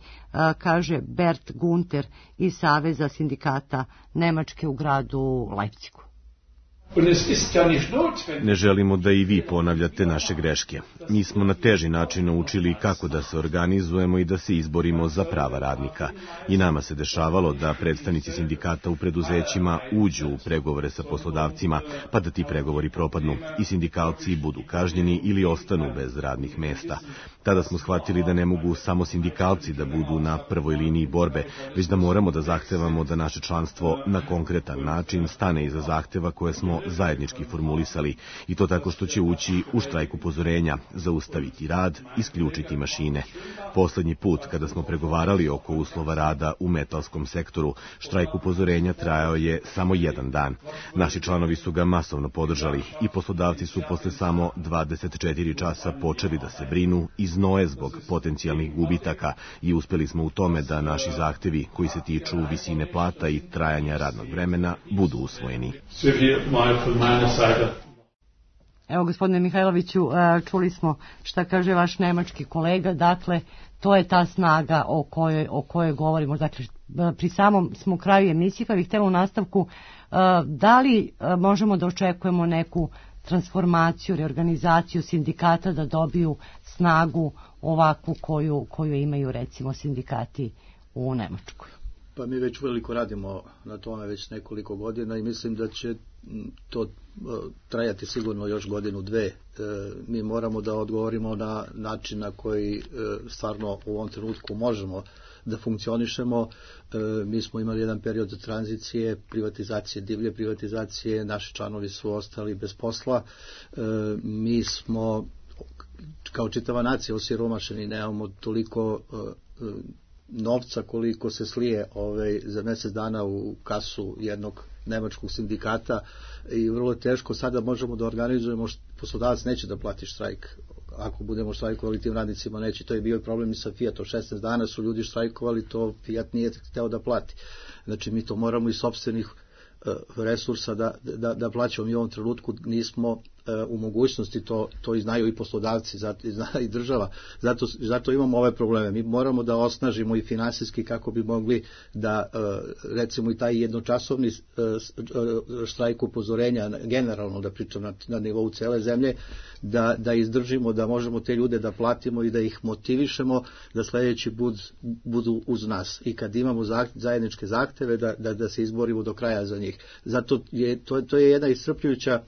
kaže Bert Gunter iz Saveza sindikata Nemačke u gradu Leipzigu. Ne želimo da i vi ponavljate naše greške. Mi smo na teži način naučili kako da se organizujemo i da se izborimo za prava radnika. I nama se dešavalo da predstavnici sindikata u preduzećima uđu u pregovore sa poslodavcima, pa da ti pregovori propadnu i sindikalci budu kažnjeni ili ostanu bez radnih mesta. Tada smo shvatili da ne mogu samo sindikalci da budu na prvoj liniji borbe, već da moramo da zahtevamo da naše članstvo na konkretan način stane iza zahteva koje smo zajednički formulisali, i to tako što će ući u štrajk upozorenja, zaustaviti rad, isključiti mašine. Poslednji put kada smo pregovarali oko uslova rada u metalskom sektoru, štrajk upozorenja trajao je samo jedan dan. Naši članovi su ga masovno podržali i poslodavci su posle samo 24 časa počeli da se brinu i znoje zbog potencijalnih gubitaka i uspeli smo u tome da naši zahtevi koji se tiču visine plata i trajanja radnog vremena budu usvojeni. Evo, gospodine Mihajloviću, čuli smo šta kaže vaš nemački kolega, dakle, to je ta snaga o kojoj govorimo. Dakle, pri samom smo kraju emisije, pa bih htjela u nastavku, da li možemo da očekujemo neku transformaciju, reorganizaciju sindikata da dobiju snagu ovakvu koju imaju recimo sindikati u Nemačkoj? Pa mi već veliko radimo na tome već nekoliko godina i mislim da će to trajati sigurno još godinu, dve. Mi moramo da odgovorimo na način na koji stvarno u ovom trenutku možemo da funkcionišemo. Mi smo imali jedan period tranzicije, privatizacije, divlje privatizacije, naši članovi su ostali bez posla. Mi smo kao čitava nacija osiromašeni, nemamo toliko novca koliko se slije za mjesec dana u kasu jednog nemačkog sindikata i vrlo teško sada možemo da organizujemo, poslodavac neće da plati štrajk. Ako budemo štrajkovali tim radnicima neće, to je bio problem i sa Fiatom, 16 dana su ljudi štrajkovali, to Fiat nije hteo da plati. Znači mi to moramo iz sopstvenih resursa da plaćamo. Mi u ovom trenutku nismo u mogućnosti, to i znaju i poslodavci, i zna i država, zato imamo ove probleme. Mi moramo da osnažimo i finansijski kako bi mogli da recimo i taj jednočasovni štrajk upozorenja, generalno da pričam na nivou cele zemlje, da izdržimo, da možemo te ljude da platimo i da ih motivišemo da sljedeći budu uz nas. I kad imamo zajedničke zahteve da se izborimo do kraja za njih. Zato to je jedna iscrpljujuća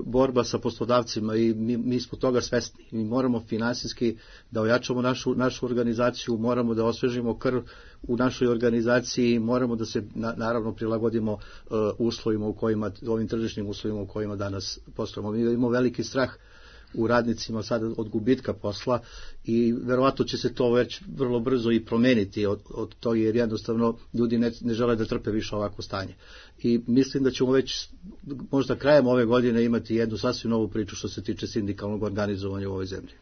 borba sa poslodavcima i mi smo toga svesni. Mi moramo finansijski da ojačamo našu organizaciju, moramo da osvežimo krv u našoj organizaciji, moramo da se naravno prilagodimo uslovima u kojima, ovim tržišnim uslovima u kojima danas poslujemo. Mi imamo veliki strah u radnicima sada od gubitka posla i verovatno će se to već vrlo brzo i promeniti od toga, jer jednostavno ljudi ne žele da trpe više ovako stanje. I mislim da ćemo već možda krajem ove godine imati jednu sasvim novu priču što se tiče sindikalnog organizovanja u ovoj zemlji.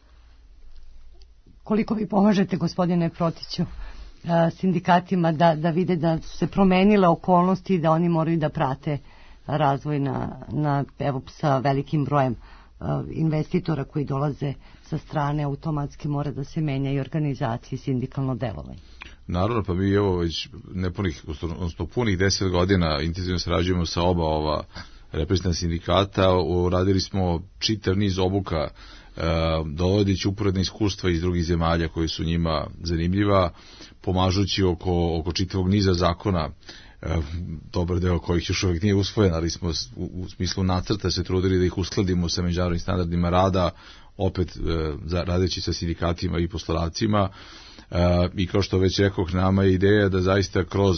Koliko vi pomažete, gospodine Protiću, sindikatima da vide da su se promenile okolnosti i da oni moraju da prate razvoj evo, sa velikim brojem investitora koji dolaze sa strane, automatski mora da se menja i organizacija i sindikalno delovanje. Naravno, pa mi evo već punih 10 godina intenzivno sarađujemo sa oba ova reprezentativna sindikata, uradili smo čitav niz obuka, dovodići uporedna iskustva iz drugih zemalja koji su njima zanimljiva, pomažući oko čitavog niza zakona, dobar deo kojih još uvijek nije usvojen, ali smo u smislu nacrta se trudili da ih uskladimo sa međunarodnim standardima rada, opet radeći sa sindikatima i poslodavcima. I kao što već rekoh, nama je ideja da zaista kroz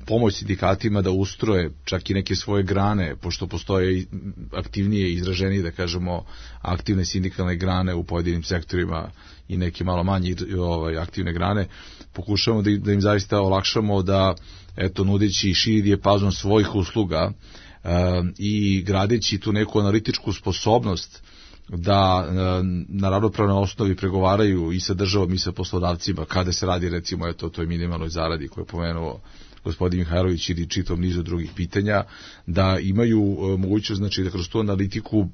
pomoć sindikatima da ustroje čak i neke svoje grane, pošto postoje aktivnije i izraženije, da kažemo, aktivne sindikalne grane u pojedinim sektorima i neke malo manje aktivne grane, pokušamo da im zaista olakšamo da, eto, nudeći širi dijapazon svojih usluga i gradeći tu neku analitičku sposobnost da na ravnopravnoj osnovi pregovaraju i sa državom i sa poslodavcima kada se radi, recimo, eto, o toj minimalnoj zaradi koju je pomenuo gospodin Mihajlović ili čitav nizu drugih pitanja, da imaju mogućnost, znači, da kroz tu analitiku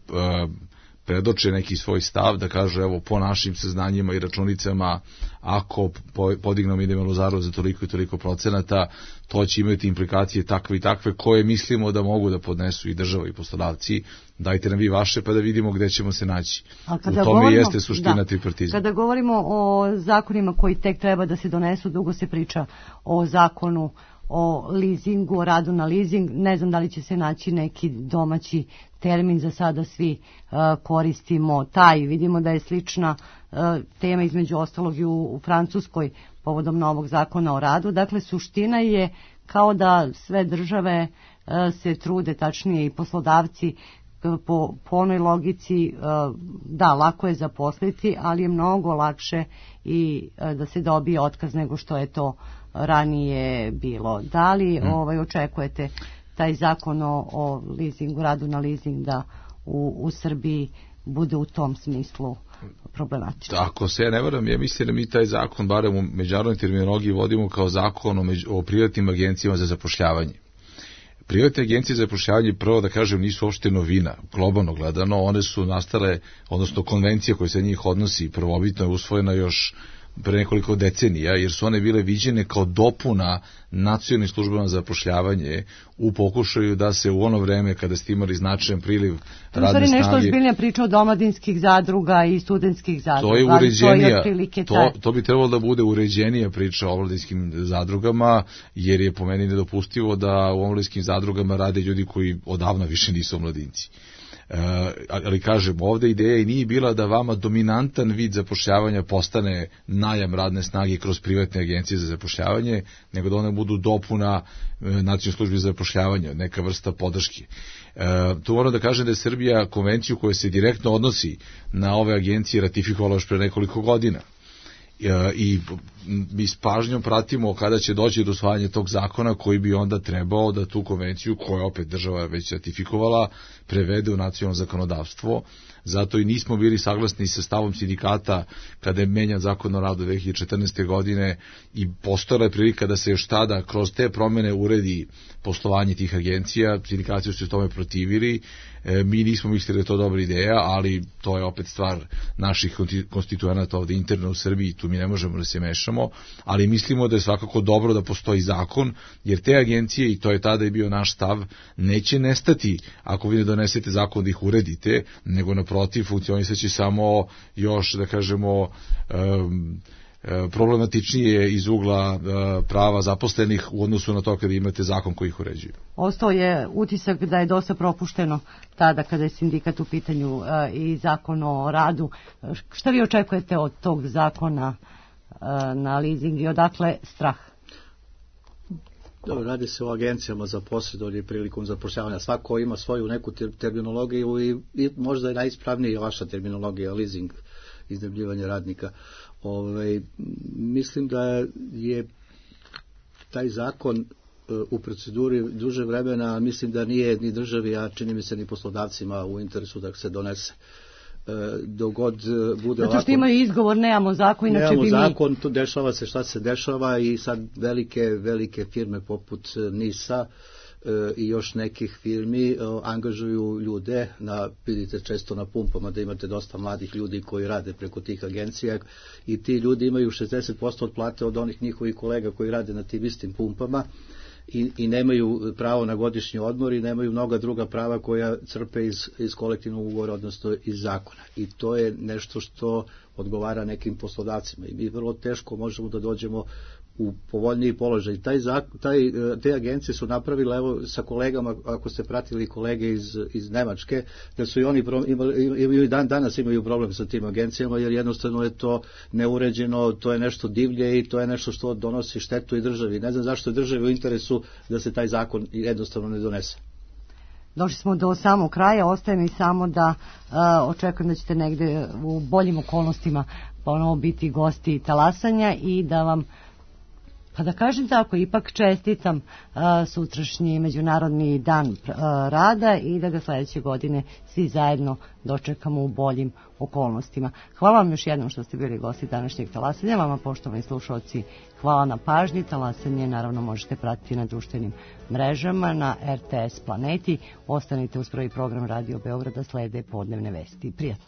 predoče neki svoj stav, da kažu, evo, po našim saznanjima i računicama, ako podignemo minimalnu zaradu za toliko i toliko procenata, to će imati implikacije takve i takve koje mislimo da mogu da podnesu i država i poslodavci. Dajte nam vi vaše pa da vidimo gde ćemo se naći. U tome jeste suština tripartizma. Kada govorimo o zakonima koji tek treba da se donesu, dugo se priča o zakonu o leasingu, o radu na leasing. Ne znam da li će se naći neki domaći termin, za sada svi koristimo taj. Vidimo da je slična tema između ostalog i u Francuskoj povodom novog zakona o radu. Dakle, suština je kao da sve države se trude, tačnije i poslodavci, po onoj logici da, lako je zaposliti, ali je mnogo lakše i da se dobije otkaz nego što je to ranije bilo. Da li očekujete taj zakon o leasingu, radu na leasing da u Srbiji bude u tom smislu problematično? Ako se ja ne varam, ja mislim da mi taj zakon, barem u međunarodnoj terminologiji, vodimo kao zakon o privatnim agencijama za zapošljavanje. Privatne agencije za zapošljavanje, prvo da kažem, nisu uopšte novina, globalno gledano, one su nastale, odnosno konvencija koja se njih odnosi, prvobitno je usvojena još pre nekoliko decenija, jer su one bile viđene kao dopuna nacionalnim službama za zapošljavanje u pokušaju da se u ono vreme kada ste imali značajan priliv radne snage... nešto ozbiljnija priča od omladinskih zadruga i studentskih zadruga. To je uređenija, to bi trebalo da bude uređenija priča o omladinskim zadrugama, jer je po meni nedopustivo da u omladinskim zadrugama rade ljudi koji odavno više nisu omladinci. Ali kažem, ovdje ideja i nije bila da vama dominantan vid zapošljavanja postane najam radne snage kroz privatne agencije za zapošljavanje, nego da one budu dopuna nacionalnoj službi za zapošljavanje, neka vrsta podrške. Tu moram da kažem da je Srbija konvenciju koja se direktno odnosi na ove agencije ratifikovala još pre nekoliko godina. I mi s pažnjom pratimo kada će doći do usvajanja tog zakona koji bi onda trebao da tu konvenciju, koja opet država već ratifikovala, prevede u nacionalno zakonodavstvo. Zato i nismo bili saglasni sa stavom sindikata kada je menjan zakon o radu 2014. godine i postojala je prilika da se još tada kroz te promene uredi poslovanje tih agencija. Sindikati su se tome protivili. Mi nismo mislili da je to dobra ideja, ali to je opet stvar naših konstituenata ovdje interno u Srbiji, tu mi ne možemo da se mešamo, ali mislimo da je svakako dobro da postoji zakon, jer te agencije, i to je tada i bio naš stav, neće nestati ako vi ne donesete zakon da ih uredite, nego naprotiv funkcionisaće samo još, da kažemo, problematičnije iz ugla prava zaposlenih u odnosu na to kada imate zakon koji ih uređuje. Ostao je utisak da je dosta propušteno tada kada je sindikat u pitanju i zakon o radu. Šta vi očekujete od tog zakona na leasing i odakle strah? Dobro, radi se o agencijama za posredovanje prilikom zapošljavanja. Svako ima svoju neku terminologiju i možda je najispravnija vaša terminologija, leasing, iznajmljivanje radnika. Mislim da je taj zakon u proceduri duže vremena, mislim da nije ni državi, a čini mi se ni poslodavcima u interesu da se donese. Dogod bude zato što imaju izgovor, nemamo zakon, inače bi mi... Nemamo zakon, tu dešava se šta se dešava i sad velike firme poput NIS-a i još nekih firmi angažuju ljude, vidite često na pumpama da imate dosta mladih ljudi koji rade preko tih agencija i ti ljudi imaju 60% od plate od onih njihovih kolega koji rade na tim istim pumpama i nemaju pravo na godišnji odmor i nemaju mnoga druga prava koja crpe iz kolektivnog ugovora, odnosno iz zakona. I to je nešto što odgovara nekim poslodavcima i mi vrlo teško možemo da dođemo u povoljniji položaj. Te agencije su napravile, evo sa kolegama, ako ste pratili kolege iz Nemačke, da su i oni imaju danas imaju problem sa tim agencijama, jer jednostavno je to neuređeno, to je nešto divlje i to je nešto što donosi štetu i državi. Ne znam zašto je državi u interesu da se taj zakon jednostavno ne donese. Došli smo do samog kraja, ostaje mi samo da očekujem da ćete negde u boljim okolnostima ponovo biti gosti talasanja i da vam, pa da kažem tako, ipak čestitam sutrašnji Međunarodni dan rada i da ga sljedeće godine svi zajedno dočekamo u boljim okolnostima. Hvala vam još jednom što ste bili gosti današnjeg talasanja. Vama, poštovani slušalci, hvala na pažnji. Talasanje naravno možete pratiti na društvenim mrežama, na RTS Planeti. Ostanite uz prvi program Radio Beograda, slede podnevne vesti. Prijatno.